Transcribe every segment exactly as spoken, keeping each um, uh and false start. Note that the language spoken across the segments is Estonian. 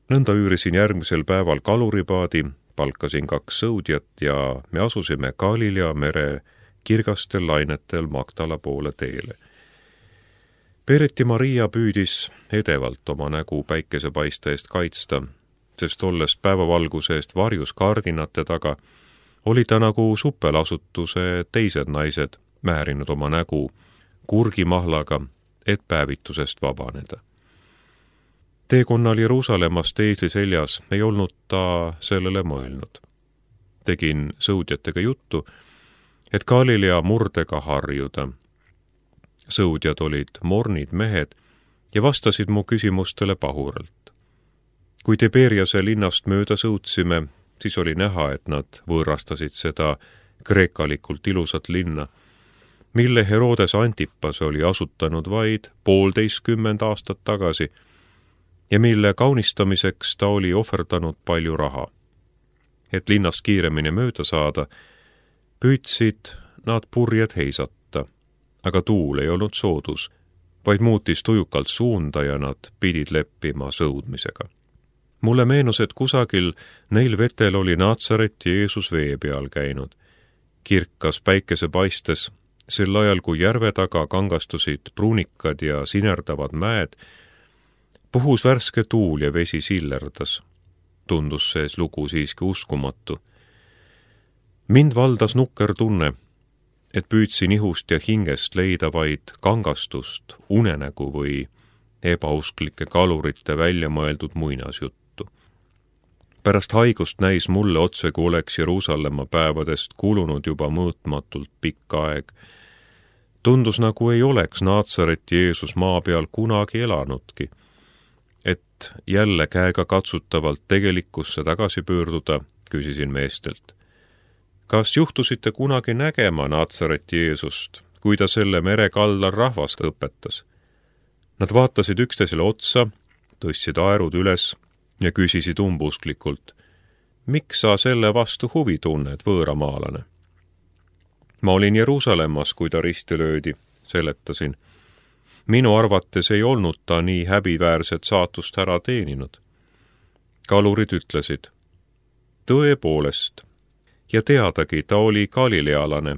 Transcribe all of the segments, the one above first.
Nõnda üürisin järgmisel päeval kaluripaadi, palkasin kaks sõudjat ja me asusime Galilea mere kirgastel lainetel Magdala poole teele. Peereti Maria püüdis edevalt oma nägu päikesepaiste eest kaitsta, sest olles päevavalguse eest varjus kardinate taga, oli ta nagu supelasutuse teised naised määrinud oma nägu kurgimahlaga, et päevitusest vabaneda. Teekonnal Jeruusalemmast eesli seljas ei olnud ta sellele mõelnud. Tegin sõudjatega juttu, et Galilea murdega harjuda. Sõudjad olid mornid mehed ja vastasid mu küsimustele pahuralt. Kui Tiberiase linnast mööda sõudsime, siis oli näha, et nad võõrastasid seda kreekalikult ilusat linna, mille Herodes Antipas oli asutanud vaid poolteistkümmend aastat tagasi ja mille kaunistamiseks ta oli ohverdanud palju raha. Et linnast kiiremini mööda saada, püüdsid nad purjed heisata, aga tuul ei olnud soodus, vaid muutis tujukalt suunda ja nad pidid leppima sõudmisega. Mulle meenus, et kusagil neil vetel oli Naatsaret Jeesus vee peal käinud. Kirkas päikese paistes, sel ajal kui järve taga kangastusid pruunikad ja sinerdavad mäed, puhus värske tuul ja vesi sillerdas. Tundus sees lugu siiski uskumatu. Mind valdas nukker tunne, et püüdsin ihust ja hingest leida vaid kangastust, unenägu või ebausklike kalurite välja mõeldud muinasjuttu. Pärast haigust näis mulle otse, kui oleks Jeruusalemma päevadest kulunud juba mõõtmatult pikk aeg. Tundus, nagu ei oleks Naatsaret Jeesus maa peal kunagi elanudki. Et jälle käega katsutavalt tegelikkusse tagasi pöörduda, küsisin meestelt. Kas juhtusite kunagi nägema Naatsaret Jeesust, kui ta selle mere kaldal rahvast õpetas? Nad vaatasid üksteisele otsa, tõstsid aerud üles ja küsisid umbusklikult, miks sa selle vastu huvi tunned, võõramaalane? Ma olin Jeruusalemmas, kui ta risti löödi, seletasin. Minu arvates ei olnud ta nii häbiväärset saatust ära teeninud. Kalurid ütlesid, tõepoolest, ja teadagi, ta oli galilealane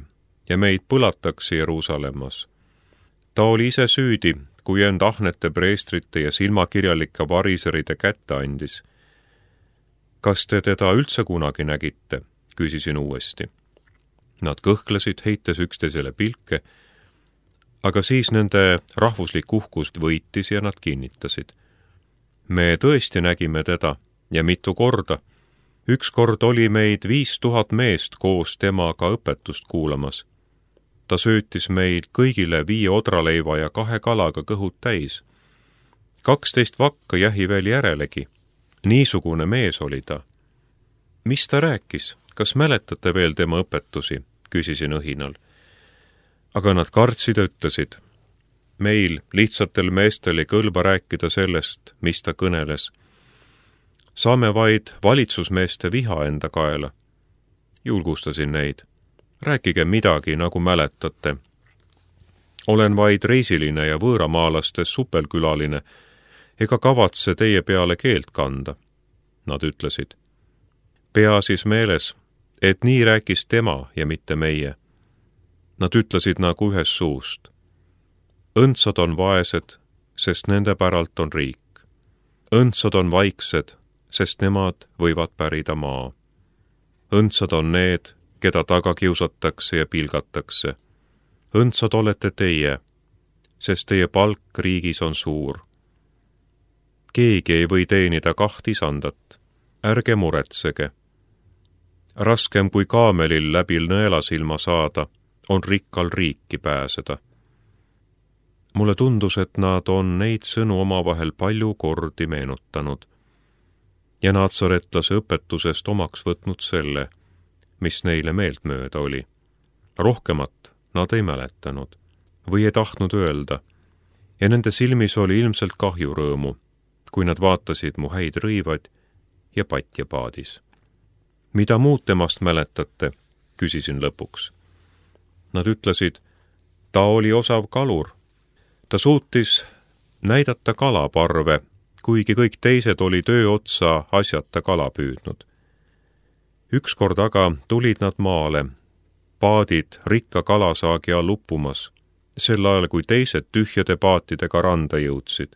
ja meid põlatakse Jeruusalemmas. Ta oli ise süüdi, kui end ahnete preestrite ja silmakirjalike variseride kätte andis. Kas te teda üldse kunagi nägite? Küsisin uuesti. Nad kõhklesid, heites üksteisele pilke, aga siis nende rahvuslik uhkust võitis ja nad kinnitasid. Me tõesti nägime teda ja mitu korda. Üks kord oli meid viis tuhat meest koos temaga õpetust kuulamas. Ta söötis meil kõigile viie odraleiva ja kahe kalaga kõhud täis. Kaksteist vakka jähi veel järelegi. Niisugune mees oli ta. Mis ta rääkis? Kas mäletate veel tema õpetusi? Küsisin õhinal. Aga nad kartsid ja ütlesid. Meil, lihtsatel meestel, ei kõlba rääkida sellest, mis ta kõneles. Saame vaid valitsusmeeste viha enda kaela. Julgustasin neid. Rääkige midagi, nagu mäletate. Olen vaid reisiline ja võõramaalastes supelkülaline, ega kavatse teie peale keelt kanda. Nad ütlesid. Pea siis meeles, et nii rääkis tema ja mitte meie. Nad ütlesid nagu ühes suust. Õndsad on vaesed, sest nende päralt on riik. Õndsad on vaiksed, sest nemad võivad pärida maa. Õndsad on need, keda taga kiusatakse ja pilgatakse. Õndsad olete teie, sest teie palk riigis on suur. Keegi ei või teenida kaht isandat. Ärge muretsege. Raskem kui kaamelil läbi nõelasilma saada, on rikkal riiki pääseda. Mulle tundus, et nad on neid sõnu omavahel palju kordi meenutanud. Ja naatsaretlase õpetusest omaks võtnud selle, mis neile meeltmööda oli. Rohkemat nad ei mäletanud või ei tahtnud öelda, ja nende silmis oli ilmselt kahjurõõmu, kui nad vaatasid mu häid rõivad ja patjapaadis. Mida muud temast mäletate, küsisin lõpuks. Nad ütlesid, ta oli osav kalur. Ta suutis näidata kalaparve, kuigi kõik teised oli töö otsa asjata kala püüdnud. Ükskord aga tulid nad maale, paadid rikka kalasaagi all uppumas, sel ajal kui teised tühjade paatidega randa jõudsid.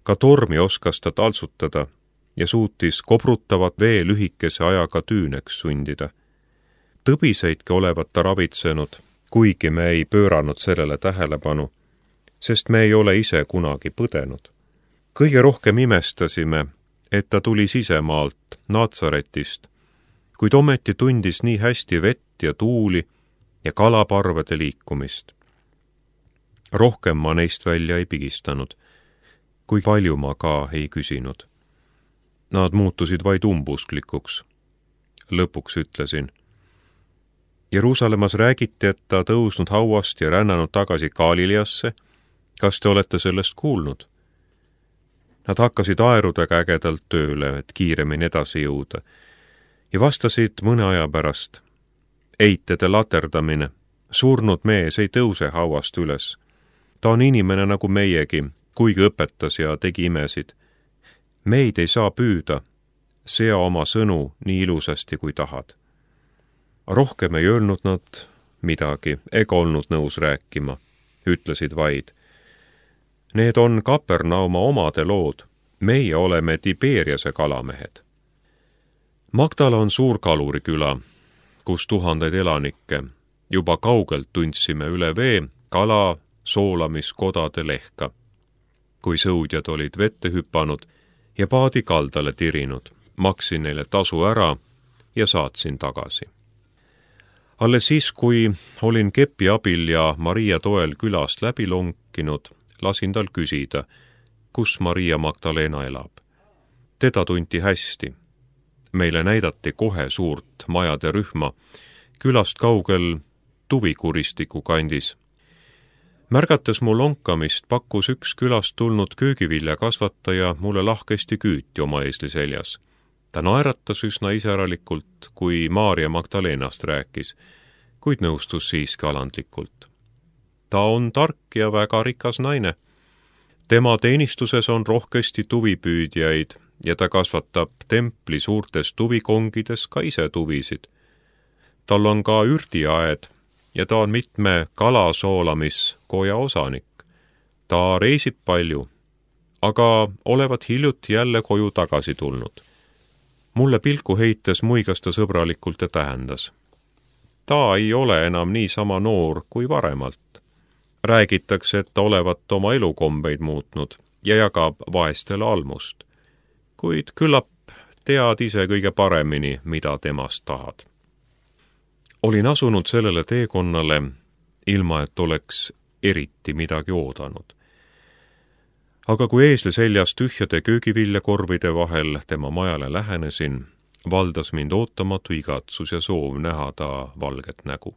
Ka tormi oskas ta taltsutada ja suutis kobrutavat vee lühikese ajaga tüüneks sundida. Tõbiseidki olevat ta ravitsenud, kuigi me ei pööranud sellele tähelepanu, sest me ei ole ise kunagi põdenud. Kõige rohkem imestasime, et ta tuli sisemaalt, Natsaretist, kuid ometi tundis nii hästi vett ja tuuli ja kalaparvede liikumist. Rohkem ma neist välja ei pigistanud, kui palju ma ka ei küsinud. Nad muutusid vaid umbusklikuks. Lõpuks ütlesin. Jeruusalemmas räägiti, et ta tõusnud hauast ja rännanud tagasi Galileasse. Kas te olete sellest kuulnud? Nad hakkasid aerudega ägedalt tööle, et kiiremini edasi jõuda, ja vastasid mõne aja pärast. Eitede laterdamine, surnud mees ei tõuse hauast üles. Ta on inimene nagu meiegi, kuigi õpetas ja tegi imesid. Meid ei saa püüda, sea oma sõnu nii ilusasti kui tahad. Rohkem ei öelnud nad midagi, ega olnud nõus rääkima, ütlesid vaid. Need on Kapernauma omade lood, meie oleme Tiberiase kalamehed. Magdala on suur kaluriküla, kus tuhandeid elanikke. Juba kaugelt tundsime üle vee kala soolamiskodade lehka. Kui sõudjad olid vette hüpanud ja paadi kaldale tirinud, maksin neile tasu ära ja saatsin tagasi. Alles siis, kui olin kepi abil ja Maria toel külast läbi lonkinud, lasin tal küsida, kus Maria Magdalena elab. Teda tunti hästi. Meile näidati kohe suurt majade rühma, külast kaugel Tuvikuristiku kandis. Märgates mu lonkamist, pakkus üks külast tulnud köögivilja kasvataja mulle lahkesti küüti oma eesli seljas. Ta naeratas üsna iseralikult, kui Maria Magdalenast rääkis, kuid nõustus siiski alandlikult. Ta on tark ja väga rikas naine. Tema teenistuses on rohkesti tuvipüüdjaid ja ta kasvatab templi suurtes tuvikongides ka ise tuvisid. Tal on ka ürdiaed ja ta on mitme kalasoolamiskoja osanik. Ta reisib palju, aga olevat hiljuti jälle koju tagasi tulnud. Mulle pilku heites muigas ta sõbralikult ja tähendas. Ta ei ole enam nii sama noor kui varemalt. Räägitakse, et ta olevat oma elukombeid muutnud ja jagab vaestele almust. Kuid küllap tead ise kõige paremini, mida temast tahad. Olin asunud sellele teekonnale, ilma et oleks eriti midagi oodanud. Aga kui eesli seljas tühjade köögiviljakorvide vahel tema majale lähenesin, valdas mind ootamatu igatsus ja soov näha ta valget nägu.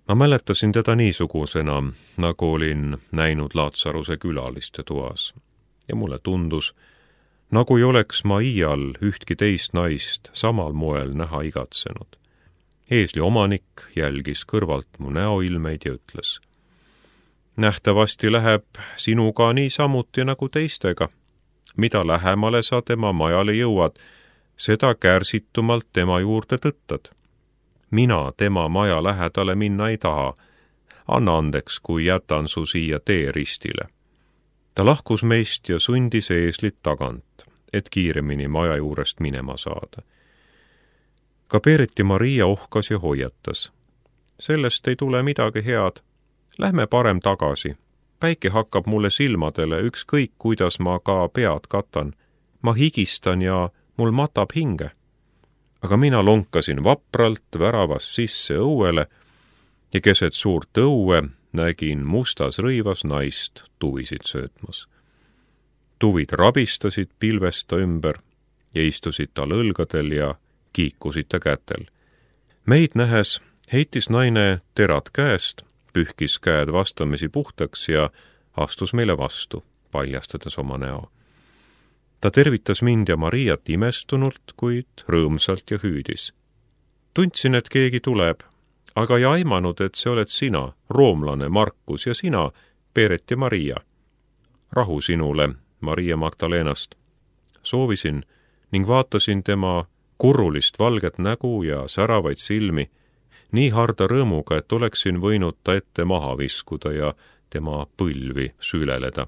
Ma mäletasin teda niisugusena, nagu olin näinud Laatsaruse külaliste toas, ja mulle tundus, nagu ei oleks ma iial ühtki teist naist samal moel näha igatsenud. Eesli omanik jälgis kõrvalt mu näoilmeid ja ütles. Nähtavasti läheb sinuga nii samuti nagu teistega. Mida lähemale sa tema majale jõuad, seda kärsitumalt tema juurde tõttad. Mina tema maja lähedale minna ei taha. Anna andeks, kui jätan su siia teeristile. Ta lahkus meist ja sundis eeslit tagant, et kiiremini maja juurest minema saada. Ka Peereti Maria ohkas ja hoiatas. Sellest ei tule midagi head. Lähme parem tagasi. Päike hakkab mulle silmadele, ükskõik kuidas ma ka pead katan. Ma higistan ja mul matab hinge. Aga mina lonkasin vapralt väravast sisse õuele ja keset suurt õue nägin mustas rõivas naist tuvisid söötmas. Tuvid rabistasid pilvesta ümber ja istusid tal õlgadel ja kiikusid ta kätel. Meid nähes heitis naine terad käest, pühkis käed vastamisi puhtaks ja astus meile vastu, paljastades oma näo. Ta tervitas mind ja Mariat imestunult, kuid rõõmsalt ja hüüdis. Tundsin, et keegi tuleb, aga ei aimanud, et see oled sina, roomlane Markus ja sina, Peeret ja Maria. Rahu sinule, Maria Magdalenast. Soovisin ning vaatasin tema kurrulist valget nägu ja säravaid silmi nii harda rõõmuga, et oleksin võinud ta ette maha viskuda ja tema põlvi süüleleda.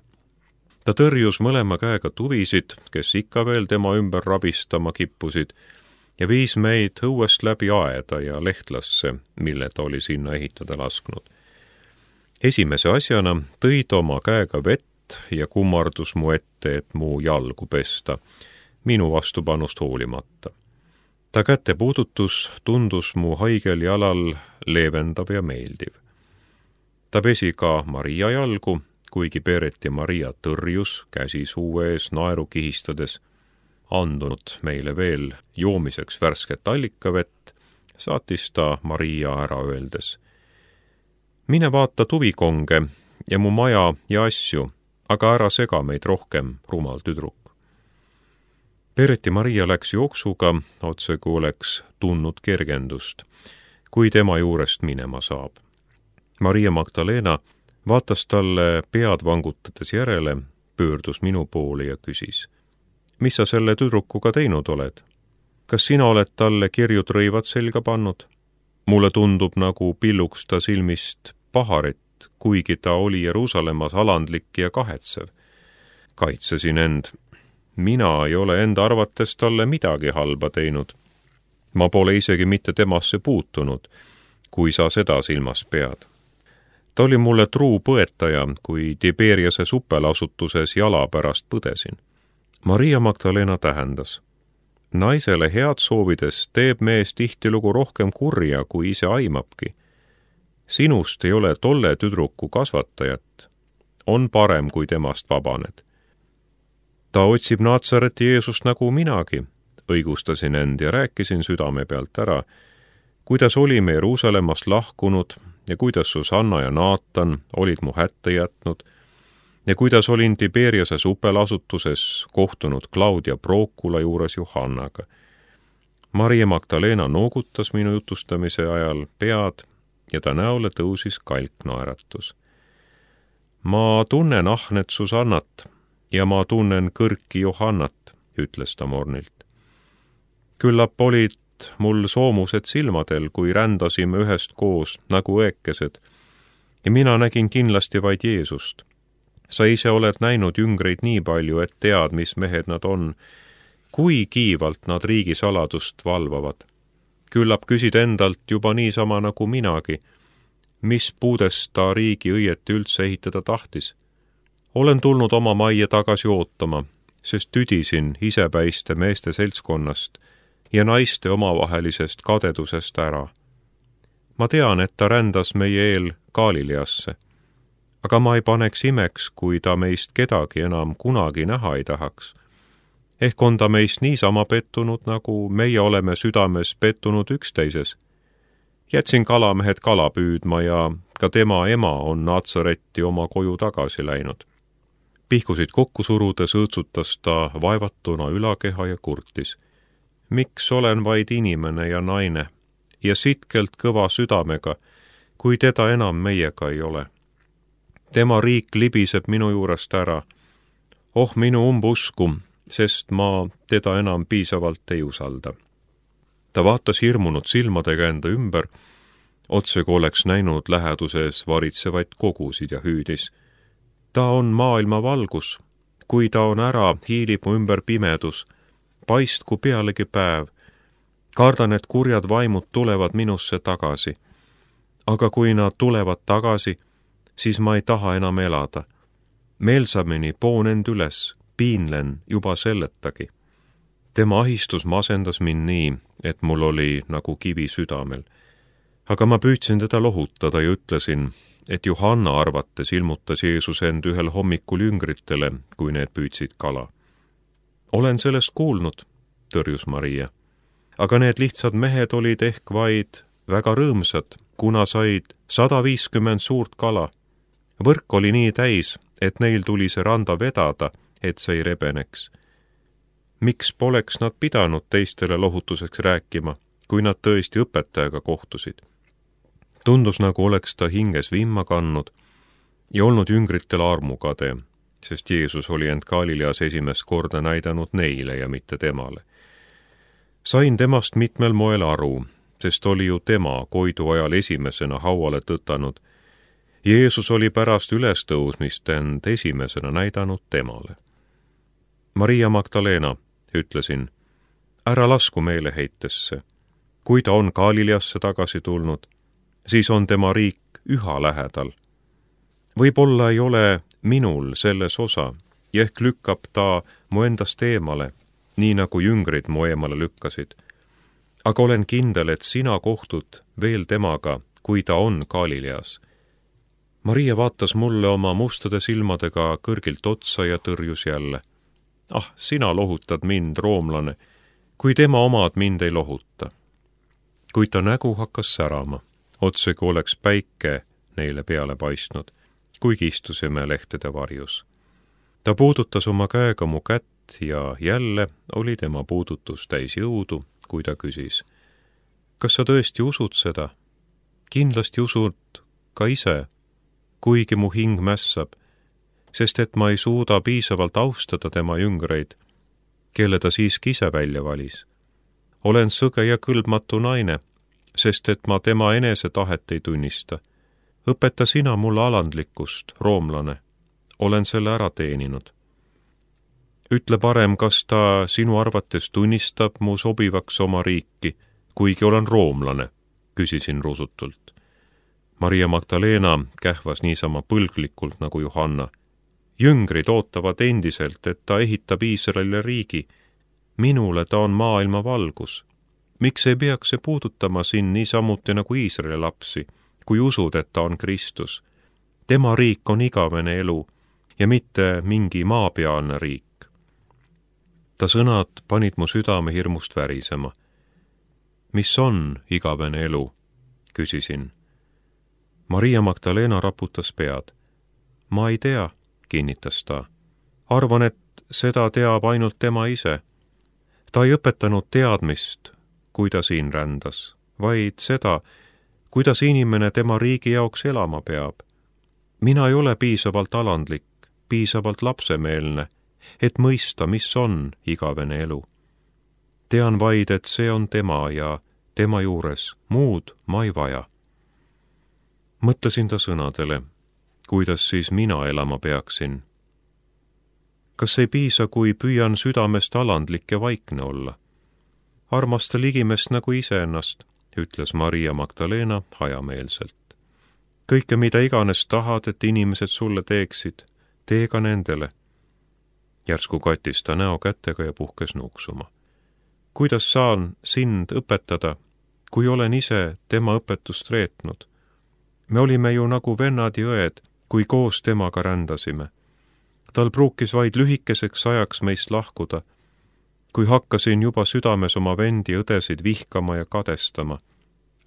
Ta tõrjus mõlema käega tuvisid, kes ikka veel tema ümber rabistama kippusid, ja viis meid õuest läbi aeda ja lehtlasse, mille ta oli sinna ehitada lasknud. Esimese asjana tõi ta oma käega vett ja kummardus mu ette, et mu jalgu pesta, minu vastupanust hoolimata. Ta käte puudutus tundus mu haigel jalal leevendav ja meeldiv. Ta pesi ka Maria jalgu, kuigi Beret ja Maria tõrjus käsi suu ees naeru kihistades, andunud meile veel joomiseks värsket allikavett, saatis ta Maria ära öeldes: mine vaata tuvikonge ja mu maja ja asju, aga ära sega meid rohkem, rumal tüdruk. Beret ja Maria läks jooksuga, otse kui oleks tundnud kergendust, kui tema juurest minema saab. Maria Magdalena vaatas talle pead vangutades järele, pöördus minu poole ja küsis: mis sa selle tüdrukuga teinud oled? Kas sina oled talle kirjud rõivad selga pannud? Mulle tundub, nagu pilluks ta silmist paharet, kuigi ta oli Jeruusalemmas alandlik ja kahetsev. Kaitsesin end. Mina ei ole enda arvates talle midagi halba teinud. Ma pole isegi mitte temasse puutunud, kui sa seda silmas pead. Ta oli mulle truu põetaja, kui Tiberiase supelasutuses jala pärast põdesin. Maria Magdalena tähendas: naisele head soovides teeb mees tihtilugu rohkem kurja, kui ise aimabki. Sinust ei ole tolle tüdruku kasvatajat. On parem, kui temast vabaned. Ta otsib Naatsareti Jeesust nagu minagi, õigustasin end ja rääkisin südame pealt ära, kuidas olime Jeruusalemmast lahkunud ja kuidas Susanna ja Naatan olid mu hätte jätnud ja kuidas olin Tiberiase supelasutuses kohtunud Claudia Procula juures Johannaga. Maria Magdalena noogutas minu jutustamise ajal pead ja ta näole tõusis kalknaeratus. Ma tunnen ahnet Susannat ja ma tunnen kõrki Johannat, ütles ta mornilt. Küllap olid mul soomused silmadel, kui rändasime ühest koos nagu õekesed, ja mina nägin kindlasti vaid Jeesust. Sa ise oled näinud jüngreid nii palju, et tead, mis mehed nad on, kui kiivalt nad riigisaladust valvavad. Küllap küsid endalt juba niisama nagu minagi, mis puudest ta riigi õieti üldse ehitada tahtis. Olen tulnud oma majja tagasi ootama, sest tüdisin isepäiste meeste seltskonnast ja naiste omavahelisest kadedusest ära. Ma tean, et ta rändas meie eel Galileasse, aga ma ei paneks imeks, kui ta meist kedagi enam kunagi näha ei tahaks. Ehk on ta meist niisama pettunud, nagu meie oleme südames pettunud üksteises. Jätsin kalamehed kala püüdma ja ka tema ema on Naatsaretti oma koju tagasi läinud. Pihkusid kokku surudes õõtsutas ta vaevatuna ülakeha ja kurtis: miks olen vaid inimene ja naine ja sitkelt kõva südamega, kui teda enam meiega ei ole. Tema riik libiseb minu juurest ära. Oh minu umbusku, sest ma teda enam piisavalt ei usalda. Ta vaatas hirmunud silmadega enda ümber, otse kui oleks näinud läheduses varitsevaid kogusid ja hüüdis: ta on maailma valgus, kui ta on ära, hiilib mu ümber pimedus, paistku pealegi päev. Kardan, et kurjad vaimud tulevad minusse tagasi. Aga kui nad tulevad tagasi, siis ma ei taha enam elada. Meelsamini poon end üles, piinlen juba selletagi. Tema ahistus masendas mind nii, et mul oli nagu kivi südamel. Aga ma püüdsin teda lohutada ja ütlesin, et Johanna arvates ilmutas Jeesus end ühel hommikul jüngritele, kui need püüdsid kala. Olen sellest kuulnud, tõrjus Maria. Aga need lihtsad mehed olid ehk vaid väga rõõmsad, kuna said sada viiskümmend suurt kala. Võrk oli nii täis, et neil tuli see randa vedada, et see ei rebeneks. Miks poleks nad pidanud teistele lohutuseks rääkima, kui nad tõesti õpetajaga kohtusid? Tundus, nagu oleks ta hinges vimma kannud ja olnud jüngritel armukade, sest Jeesus oli end Galileas esimest korda näidanud neile ja mitte temale. Sain temast mitmel moel aru, sest oli ju tema koidu ajal esimesena hauale tõtanud. Jeesus oli pärast ülestõusmist end esimesena näidanud temale. Maria Magdalena, ütlesin, ära lasku meeleheitesse. Kui ta on Galileasse tagasi tulnud, siis on tema riik üha lähedal. Võib-olla ei ole minul selles osa ja ehk lükkab ta mu endast eemale, nii nagu jüngrid mu eemale lükkasid. Aga olen kindel, et sina kohtud veel temaga, kui ta on Galileas. Maria vaatas mulle oma mustade silmadega kõrgilt otsa ja tõrjus jälle. Ah, sina lohutad mind, roomlane, kui tema omad mind ei lohuta. Kuid ta nägu hakkas särama, otse kui oleks päike neile peale paistnud, kuigi istusime lehtede varjus. Ta puudutas oma käega mu kätt ja jälle oli tema puudutus täis jõudu, kui ta küsis. Kas sa tõesti usud seda? Kindlasti usud ka ise, kuigi mu hing mässab, sest et ma ei suuda piisavalt austada tema jüngreid, kelle ta siiski ise välja valis. Olen sõge ja kõlbmatu naine, sest et ma tema enese tahet ei tunnista. Õpeta sina mulle alandlikkust, roomlane. Olen selle ära teeninud. Ütle parem, kas ta sinu arvates tunnistab mu sobivaks oma riiki, kuigi olen roomlane, küsisin rusutult. Maria Magdalena kähvas niisama põlglikult nagu Johanna. Jüngrid ootavad endiselt, et ta ehitab Iisraelile riigi. Minule ta on maailma valgus. Miks ei peaks see puudutama siin niisamuti nagu Iisraeli lapsi, kui usud, et ta on Kristus? Tema riik on igavene elu ja mitte mingi maapealne riik. Ta sõnad panid mu südame hirmust värisema. Mis on igavene elu? Küsisin. Maria Magdalena raputas pead. Ma ei tea, kinnitas ta. Arvan, et seda teab ainult tema ise. Ta ei õpetanud teadmist, kui ta siin rändas, vaid seda, kuidas inimene tema riigi jaoks elama peab. Mina ei ole piisavalt alandlik, piisavalt lapsemeelne, et mõista, mis on igavene elu. Tean vaid, et see on tema ja tema juures, muud ma ei vaja. Mõtlesin ta sõnadele, kuidas siis mina elama peaksin. Kas ei piisa, kui püüan südamest alandlik ja vaikne olla? Armasta ligimest nagu iseennast, ütles Maria Magdalena hajameelselt. Kõike, mida iganes tahad, et inimesed sulle teeksid, tee ka nendele. Järsku katis ta näo kätega ja puhkes nuksuma. Kuidas saan sind õpetada, kui olen ise tema õpetust reetnud? Me olime ju nagu vennad ja õed, kui koos temaga rändasime. Tal pruukis vaid lühikeseks ajaks meist lahkuda, kui hakkasin juba südames oma vendi õdesid vihkama ja kadestama.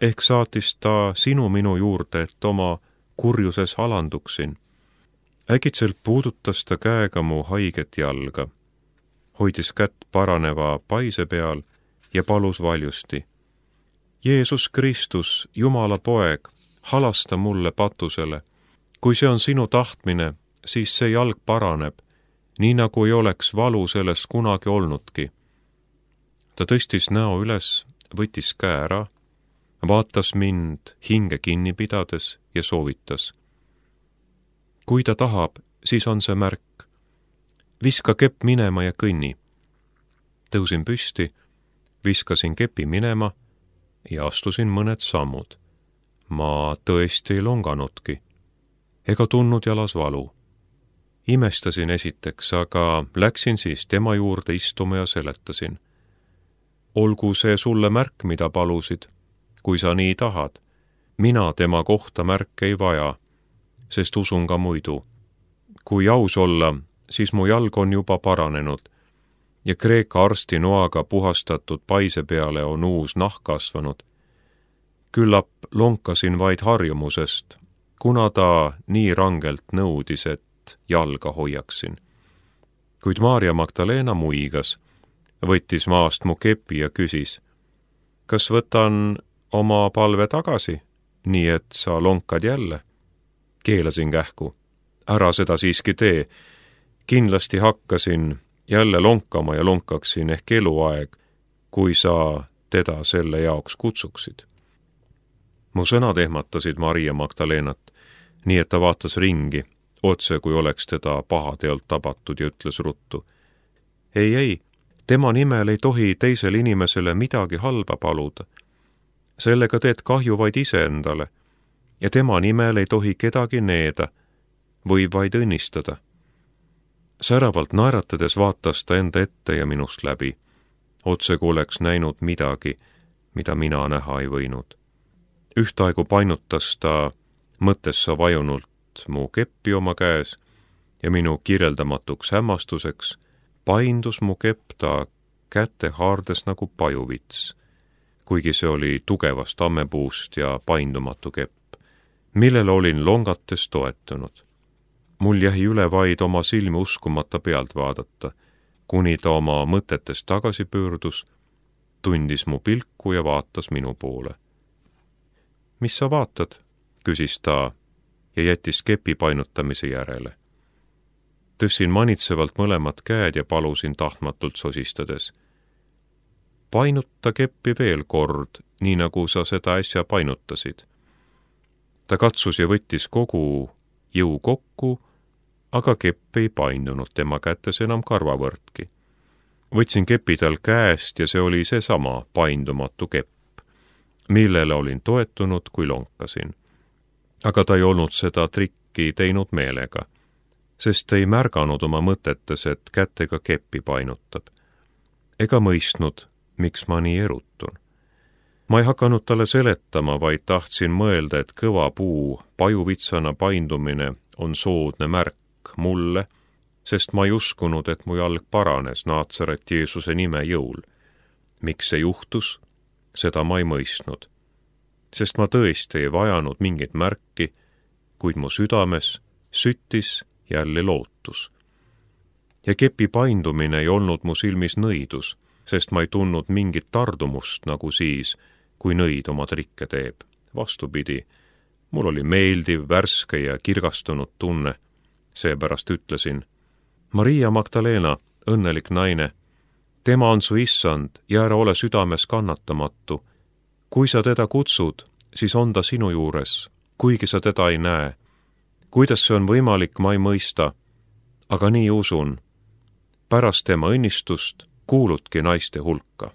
Ehk saatis ta sinu minu juurde, et oma kurjuses alanduksin. Äkitselt puudutas ta käega mu haiget jalga, hoidis kätt paraneva paise peal ja palus valjusti. Jeesus Kristus, Jumala poeg, halasta mulle patusele. Kui see on sinu tahtmine, siis see jalg paraneb, nii nagu ei oleks valu sellest kunagi olnudki. Ta tõstis näo üles, võttis käe ära, vaatas mind hinge kinni pidades ja soovitas. Kui ta tahab, siis on see märk. Viska kepp minema ja kõnni. Tõusin püsti, viskasin kepi minema ja astusin mõned sammud. Ma tõesti ei longanudki, ega tundnud jalas valu. Imestasin esiteks, aga läksin siis tema juurde istuma ja seletasin. Olgu see sulle märk, mida palusid, kui sa nii tahad. Mina tema kohta märke ei vaja, sest usun ka muidu. Kui aus olla, siis mu jalg on juba paranenud ja Kreeka arsti noaga puhastatud paise peale on uus nahk kasvanud. Küllap lonkasin vaid harjumusest, kuna ta nii rangelt nõudis, et jalga hoiaksin. Kuid Maria Magdalena muigas, võttis maast mu kepi ja küsis, kas võtan oma palve tagasi, nii et sa lonkad jälle? Keelasin kähku. Ära seda siiski tee. kindlasti hakkasin jälle lonkama ja lonkaksin ehk eluaeg, kui sa teda selle jaoks kutsuksid. Mu sõnad ehmatasid Maria Magdalenat, nii et ta vaatas ringi, otse kui oleks teda pahateolt tabatud ja ütles ruttu. Ei, ei, tema nimel ei tohi teisele inimesele midagi halba paluda. Sellega teed kahju vaid iseendale ja tema nimel ei tohi kedagi needa või vaid õnnistada. Säravalt naeratades vaatas ta enda ette ja minust läbi, otse kui oleks näinud midagi, mida mina näha ei võinud. Ühtaegu painutas ta mõttessa vajunult mu keppi oma käes ja minu kirjeldamatuks hämmastuseks paindus mu kepp ta kätte haardes nagu pajuvits, kuigi see oli tugevast ammepuust ja paindumatu kepp, millele olin longates toetunud. Mul jäi üle vaid oma silmi uskumata pealt vaadata, kuni ta oma mõtetest tagasi pöördus, tundis mu pilku ja vaatas minu poole. Mis sa vaatad? Küsis ta ja jättis kepi painutamise järele. Tõssin manitsevalt mõlemad käed ja palusin tahtmatult sosistades. Painuta keppi veel kord, nii nagu sa seda äsja painutasid. Ta katsus ja võttis kogu jõu kokku, aga kepp ei paindunud tema kätes enam karvavõrdki. Võtsin kepi tal käest ja see oli seesama paindumatu kepp, millele olin toetunud, kui lonkasin. Aga ta ei olnud seda trikki teinud meelega, sest ei märganud oma mõtetes, et kätega keppi painutab. Ega mõistnud, miks ma nii erutun. Ma ei hakanud talle seletama, vaid tahtsin mõelda, et kõva puu pajuvitsana paindumine on soodne märk mulle, sest ma ei uskunud, et mu jalg paranes Naatsaret Jeesuse nime jõul. Miks see juhtus? Seda ma ei mõistnud, sest ma tõesti ei vajanud mingit märki, kuid mu südames süttis jälle lootus. Ja kepi paindumine ei olnud mu silmis nõidus, sest ma ei tundnud mingit tardumust nagu siis, kui nõid oma trikke teeb. Vastupidi, mul oli meeldiv, värske ja kirgastunud tunne, seepärast ütlesin, Maria Magdalena, õnnelik naine, tema on su issand ja ära ole südames kannatamatu. Kui sa teda kutsud, siis on ta sinu juures, kuigi sa teda ei näe. Kuidas see on võimalik, ma ei mõista, aga nii usun. Pärast tema õnnistust kuuludki naiste hulka.